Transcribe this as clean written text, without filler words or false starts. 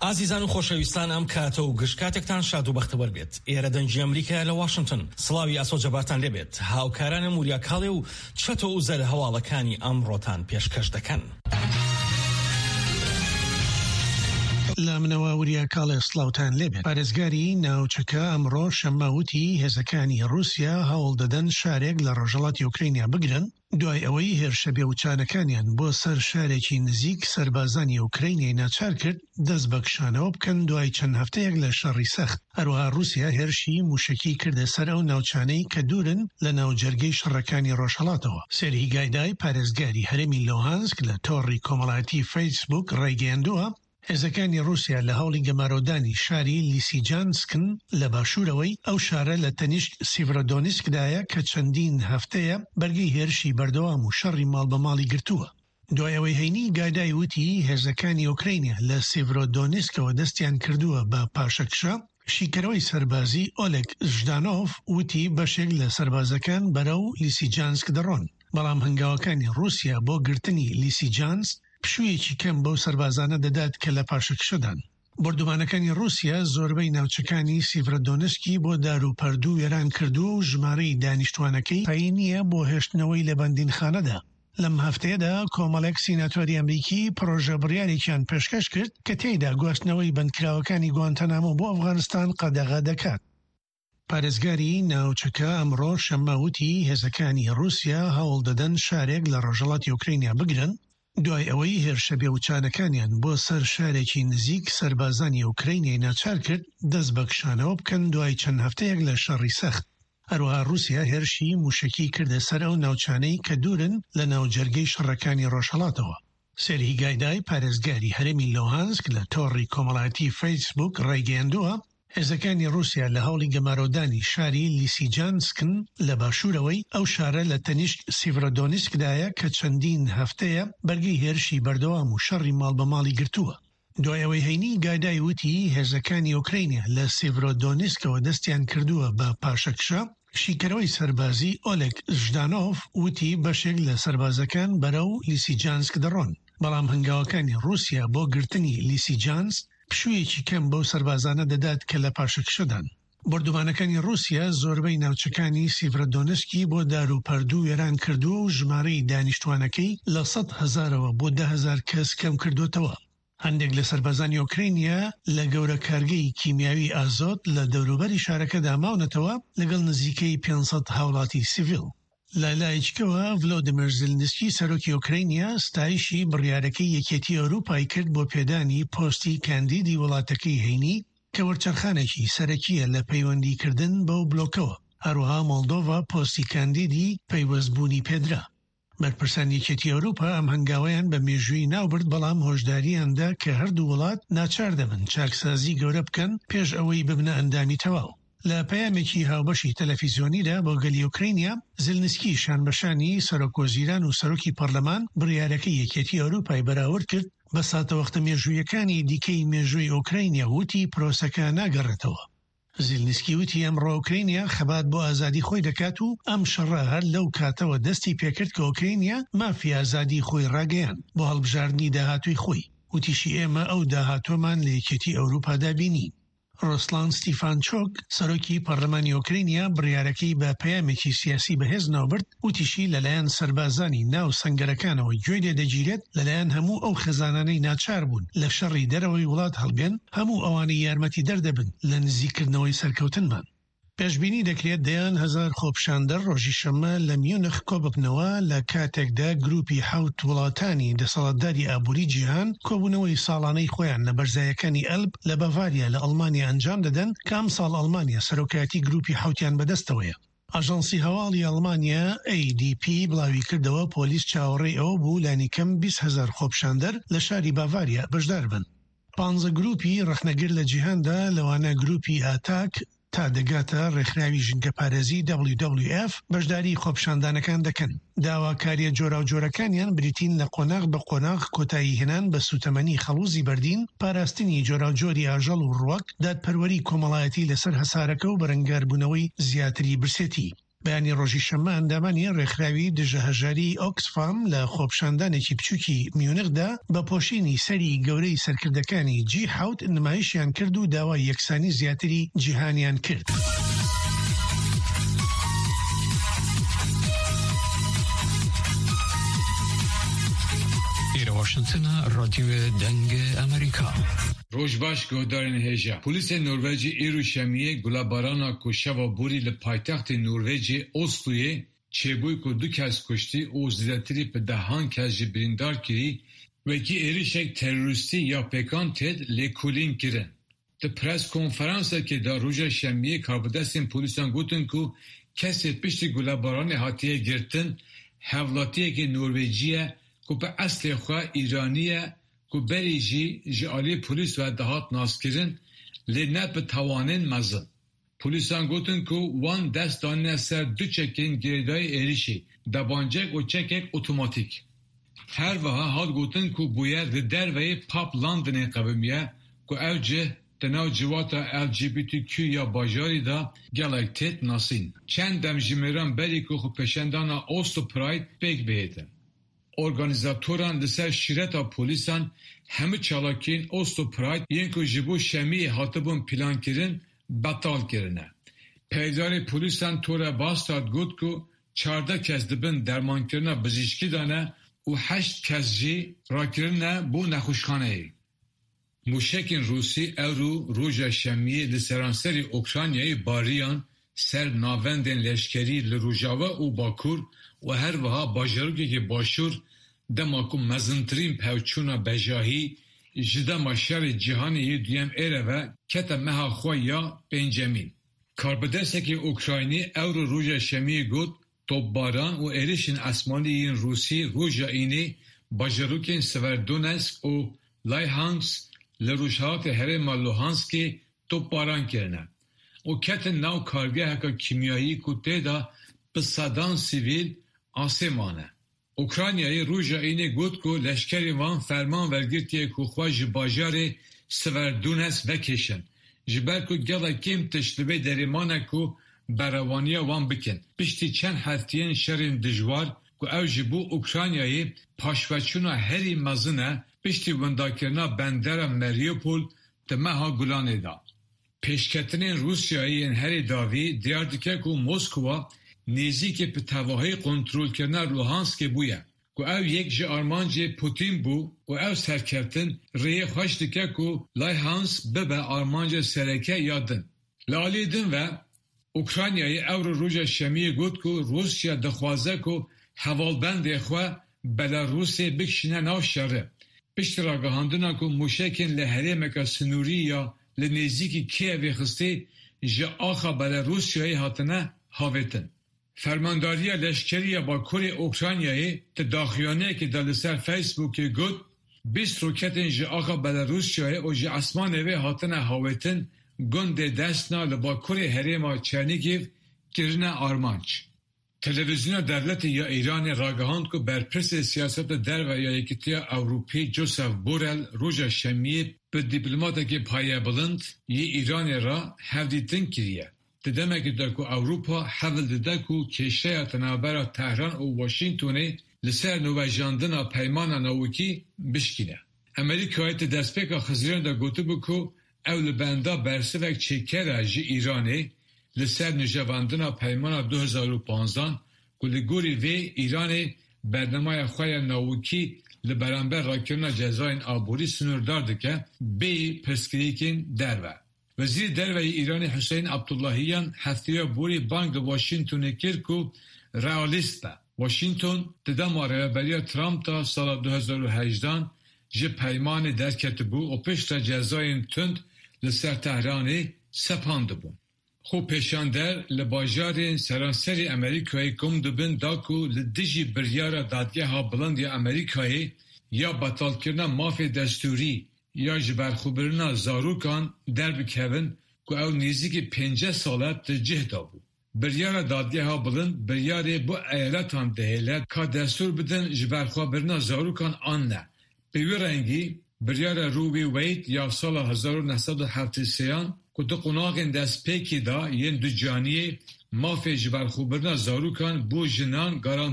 ئازیزان و خۆشەویستان ئەم کاتە و گشت کاتێکتان شاد و بەختەوەر بێت. ئێرە دەنگی ئەمریکایە لە واشنتن. سڵاوی ئاسۆ جەبارتان لێ بێت. هاوکارانم وریا کاڵێ و چەتۆ ئوزەر هەواڵەکانی ئەمڕۆتان پێشکەش دەکەن. لە منەوە وریا کاڵێ سڵاوتان لێبێت. پارێزگاری ناوچەکە ئەمڕۆ شەممە وتی هێزەکانی ڕووسیا هەوڵ دەدەن شارێک لە ڕۆژهەڵاتی ئۆکرەینیا بگرن، دوای ئەوەی هێرشە بێوچانەکانیان بۆ سەر شارێکی نزیک سەربازانی ئۆکرەینیای ناچار کرد دەست بە کشانەوە بکەن دوای چەند هەفتەیەک لە شەڕی سەخت. هەروەها ڕووسیا هێرشی مووشەکی کردە سەر ئەو ناوچانەی کە دوورن لە ناوجەرگەی شەڕەکانی ڕۆژهەڵاتەوە. سێرهی گایدای پارێزگاری هەرێمی لوهانسک لە تۆڕی کۆمەڵایەتی فەیسبووک ڕایگەیاندووە، هێزەکانی ڕووسیا لە هەوڵی گەمارۆدانی شاری لیسیجانسکن لە باشوورەوەی، ئەو شارە لە تەنیشت سیڤرۆدۆنیسکدایە کە چەندین هەفتەیە بەرگەی هێرشی بەردەوام و شەڕی ماڵ بە ماڵی گرتووە. دوای ئەوەی هەینی گایدای وتی هێزەکانی ئۆکرەینیا لە سیڤرۆدۆنیسکەوە دەستیان کردووە بە پاشەکشە، شیکەرەوەی سەربازی ئۆلێگ ژدانۆڤ وتی بەشێک لە سەربازەکان بەرەو لیسیجانسک دەڕۆن، بەڵام هەنگاوەکانی ڕووسیا بۆ گرتنی لیسیجانسک پشوویەکی کەم بەو سەربازانە دەدات کە لە پاشەکشەدان. بۆردومانەکانی ڕووسیا زۆربەی ناوچەکانی سیڤرۆدۆنسکی بۆ دار و پەردوو وێران کردووە و ژمارەی دانیشتوانەکەی پێی نییە بۆ هێشتنەوەی لە بەندینخانەدا. لەم هەفتەیەدا کۆمەڵێک سیناتۆری ئەمریکی پڕۆژە بڕیارێکیان پێشکەش کرد کە تێیدا گواستنەوەی بەندکراوەکانی گوانتانامۆ بۆ ئەفغانستان قەدەغە دەکات. پارێزگاری ناوچەکە ئەمڕۆ شەممە وتی هێزەکانی ڕووسیا هەوڵ دەدەن شارێک لە ڕۆژهەڵاتی ئۆکرەینیا بگرن، دوای ئەوەی هێرشە بێوچانەکانیان بۆ سەر شارێکی نزیک سەربازانی ئۆکرەینیای ناچار کرد دەست بە کشانەوە بکەن دوای چەند هەفتەیەک لە شەڕی سەخت. هەروەها ڕووسیا هێرشی مووشەکی کردە سەر ئەو ناوچانەی کە دوورن لە ناوجەرگەی شەڕەکانی ڕۆژهەڵاتەوە. سێرهی گایدای پارێزگاری هەرێمی لوهانسک لە تۆڕی کۆمەڵایەتی فەیسبووک ڕایگەیاندووە، هێزەکانی ڕووسیا لە هەوڵی گەمارۆدانی شاری لیسیجانسکن لە باشوورەوەی، ئەو شارە لە تەنیشت سیڤرۆدۆنیسکدایە کە چەندین هەفتەیە بەرگەی هێرشی بەردەوام و شەڕی ماڵ بە ماڵی گرتووە. دوای ئەوەی هەینی گایدای وتی هێزەکانی ئۆکرەینیا لە سیڤرۆدۆنیسکەوە دەستیان کردووە بە پاشەکشە، شیکەرەوەی سەربازی ئۆلێگ ژدانۆڤ وتی بەشێک لە سەربازەکان بەرەو لیسیجانسک دەڕۆن، بەڵام هەنگاوەکانی ڕووسیا بۆ گرتنی لیسیجانسک پشوویەکی کەم بەو سەربازانە دەدات کە لە پاشەکشەدان. بۆردومانەکانی ڕووسیا زۆربەی ناوچەکانی سیڤرۆدۆنسکی بۆ دار و پەردوو وێران کردووە و ژمارەی دانیشتوانەکەی لە 100 هەزارەوە بۆ 10,000 کەس کەمکردووەتەوە. هەندێک لە سەربازانی ئۆکرەینیا لە گەورە کارگەی کیمیاوی ئازۆت لە دەوروبەری شارەکەدا ماونەتەوە لەگەڵ نزیکەی 500 هاوڵاتی سیڤیل. لە لایەکیکەوە ڤلۆدیمێر زیلنسکی سەرۆکی ئۆکرەینیا ستایشی بڕیارەکەی یەکێتی ئەوروپای کرد بۆ پێدانی پۆستی کاندیدی وڵاتەکەی هەینی کە وەرچەرخانێکی سەرەکییە لە پەیوەندیکردن بەو بلۆکەوە، هەروەها مۆڵدۆڤا پۆستی کاندیدی پەیوەستبوونی پێدرا. بەرپرسانی یەکێتی ئەوروپا ئەم هەنگاوەیان بە مێژوویی ناوبرد، بەڵام هۆشدارییان دا کە هەردوو وڵات ناچار دەبن چاکسازی گەورە بکەن پێش ئەوەی ببنە ئەندامی تەواو. لە پەیامێکی هاوبەشی تەلەفیزیۆنیدا بۆ گەلی ئۆکرەینیا، زیلنسکی شانبەشانی سەرۆکوەزیران و سەرۆکی پەرلەمان بڕیارەکەی یەکێتی ئەوروپای بەراورد کرد بە ساتەوەختە مێژوویەکانی دیکەی مێژووی ئۆکرەینیا و وتی پرۆسەکە ناگەڕێتەوە. زیلنسکی وتی ئەمڕۆ ئۆکرەینیا خەبات بۆ ئازادی خۆی دەکات و ئەم شەڕە هەر لەو کاتەوە دەستی پێکرد کە ئۆکرەینیا مافی ئازادی خۆی ڕاگەیاند بۆ هەڵبژاردنی داهاتووی خۆی. وتیشی ئێمە ئەو داهاتووەمان لە یەکێتی ئەوروپادا بینی. ڕۆسلان ستیفانچۆک، سەرۆکی پەرلەمانی ئۆکرەینیا بڕیارەکەی بە پەیامێکی سیاسی بەهێز ناوبرد، وتیشی، لەلایەن سەربازانی ناو سەنگەرەکانەوە گوێی لێدەگیرێت، لەلایەن هەموو ئەو خێزانانەی ناچار بوون لە شەڕی دەرەوەی وڵات هەڵبێن، هەموو ئەوانەی یارمەتیدەر دەبن لە نزیککردنەوەی سەرکەوتنمان. پێشبینی دەکرێت دەیان هەزار خۆپیشاندەر ڕۆژی شەممە لە میونخ کۆببنەوە لە کاتێکدا گروپی حەوت وڵاتانی دەسەڵاتداری ئابووری جیهان کۆبوونەوەی ساڵانەی خۆیان لە بەرزایەکانی ئەلب لە بەڤاریا لە ئەڵمانیا ئەنجام دەدەن کە ئەمساڵ ئەڵمانیا سەرۆکایەتی گروپی حەوتیان بەدەستەوەیە. ئاژانسی هەواڵی ئەڵمانیا، ADP، بڵاویکردەوە، پۆلیس چاوەڕێی ئەوە بوو لانیکەم 20 هەزار خۆپیشاندەر لە شاری باڤاریا بەشداربن. پانزە گروپی ڕەخنەگر لە جیهاندا لەوانە گروپی ئاتاک تا دەگاتە ڕێکخراوی ژینگەپارێزی WWF بەشداری خۆپیشاندانەکان دەکەن. داواکارییە جۆراوجۆرەکانیان بریتین لە قۆناغ بە قۆناغ کۆتاییهێنان بە سووتەمەنی خەڵوزی بەردین، پاراستنی جۆراوجۆری ئاژەڵ و ڕووەک، دادپەروەری کۆمەڵایەتی لەسەر هەسارەکە و بەرەنگاربوونەوەی زیاتری برسێتی. بەیانی ڕۆژی شەممە ئەندامانی ڕێکخراوی دژە هەژاریی ئۆکسفام لە خۆپیشاندانێکی بچووکی میونخدا بە پۆشینی سەری گەورەی سەرکردەکانی جی حەوت نمایشیان کرد و داوای یەکسانی زیاتری جیهانیان کرد. ئێرە واشنتنە، ڕادیۆ دەنگ ئەمریکا. Roj baş guhdarên hêja. Polîsên Norwecê îro Şemiyê gulebarana ku şeva borî li paytextê Norwecê Osloyê çêbûy ku du kes kuştî û zêdetirî bi dehan kes jî birîndar kirî wekî êrişek terorîstî ya pêkan têt lêkolîn kirin. Di preskonferansekê de roja Şemiyê karbidestên polîsan gotin ku kesê piştî gulebaranê hatiye girtin hevlatiyekî Norwecî ye ku bi eslê xwe Îranî ye ku berê jî ji aliyê polîs ve dihat naskirin lê ne bi tawanên mezin. Polîsan gotin ku wan dest danîne ser du çekên girêdayî êrişê, debancek û çekek otomatîk. Her wiha hat gotin ku bûyer li derveyê Pub Londonê qewimiye ku ew cih di nav civata LGBTQ ya bajarî de gelek têt nasîn. Çend demjimêran berî ku xwepêşandana Oslo Pride pêk bihêtin. Organîzatoran li ser şîreta polîsan hemû çalakiyên Oslo Pride yên ku ji bo Şemiyê hatibûn pîlankirin betal kirine. Peyvdarê polîsan Tore Bastard got ku 14 kes di bin dermankirina bijîşkî de ne û heşt kes jî rakirine bo nexweşxaneyê. Mûşekên Rûsî ewro roja Şemiyê li seranserî Ukraynayê bariyan ser navendên leşkerî li Rojava û Bakur û her wiha bajarokekî Başûr dema ku mezintirîn pevçûna bejahî ji dema Şerê Cîhanê yê Duyem êre ve kete meha xwe ya pêncemîn. Karbidestekî Ukraynî ewro roja Şemiyê got, Topbaran û êrişên esmanî yên Rûsî roja Înê bajarokên Severdonetsk û Lyhansk li rojhilatê herêma Luhanskê topbaran kirine û ketin nav kargeheke kîmyayî ku tê de bi sedan sivîl asê mane. Ukraynayê roja Înê got ku leşkerên wan ferman wergirtiye ku xwe ji bajarê Severdonetsk vekêşin ji ber ku gelek kêm tişt li vê derê mane ku berevaniya wan bikin piştî çend hefteyên şerên dijwar ku ew ji bo Ukraynayê paşveçûna herî mezin e piştî windakirina bendera Mariupol di meha Gulanê de. Pêşketinên Rûsyayê yên herî dawî diyar dike ku Moskwa nêzîkî bi tevahî kontrolkirina Luhanskê bûye ku ew yek ji armancê Pûtîn bû û ew serkeftin rêyê xweş dike ku Lyhansk bibe armanca sereke ya din. Li aliyê din ve Ukraynayê ewro roja Şemiyê got ku Rûsya dixwaze ku hevalbendê xwe Belarûsê bikişîne nav şerê. Piştî ragihandina ku mûşekên li herêmeke sinûrî ya li nêzîkî Kîevê xistî ji axa Belarûsyayê hatine havêtin. Fermandariya Leşkerî ya Bakurê Ukraynayê di daxuyaniyekê de li ser Facebookê got, 20 roketên ji axa Belarûsyayê û ji esmanê wê hatine havêtin gundê Desna li bakurê herêma Çernîgîv kirine armanc. Televîzyona Dewletê ya Îranê ragihand ku berpirsê siyaseta derve ya Yekîtiya Ewropî Joseph Borrell roja Şemiyê bi dîplomatekî payebilind yê Îranê re hevdîtin kiriye. Di demekê de ku Ewropa hewl dide ku kêşeya di navbera Tehran û Washingtonê li ser nûvejandina peymana navokî bişkîne. Amerîkayê di destpêka Xizîranê de gotibû ku ew li benda bersivek çêker e ji Îranê li ser nûjevandina peymana 2015 ku li gorî vê Îranê bernameya xwe ya navokî li beramber rakirina cezayên aborî sinûrdar dike bêyî pirsgirêkên derve. Wezîrê Derve yê Îranê Huseyîn Abdullahiyan hefteya borî bang li Washingtonê kir ku realîst be. Washington di dema rêveberiya Trump de sala 2018 ji peymanê derketibû û piştre cezayên tund li ser Tehranê sepandibûn. Xwepêşander li bajarên seranserî Amerîkayê kom dibin da ku li dijî biryara Dadgeha Bilind ya Amerîkayê ya betalkirina mafê destûrî ya jiberxwebirina zarokan derbikevin ku ew nêzîkî 50 sal e di cih de bû. Biryara Dadgeha Bilind biryarê bo eyaletan dihêle ka destûr bidin jiberxwebirina zarokan an ne. Bi wî rengî biryara Roe v. Wade ya sala 1973an ku di qonaxên destpêkê de yên ducaniyê Mafê jiberxwebirina zarokan bo jinan garantî.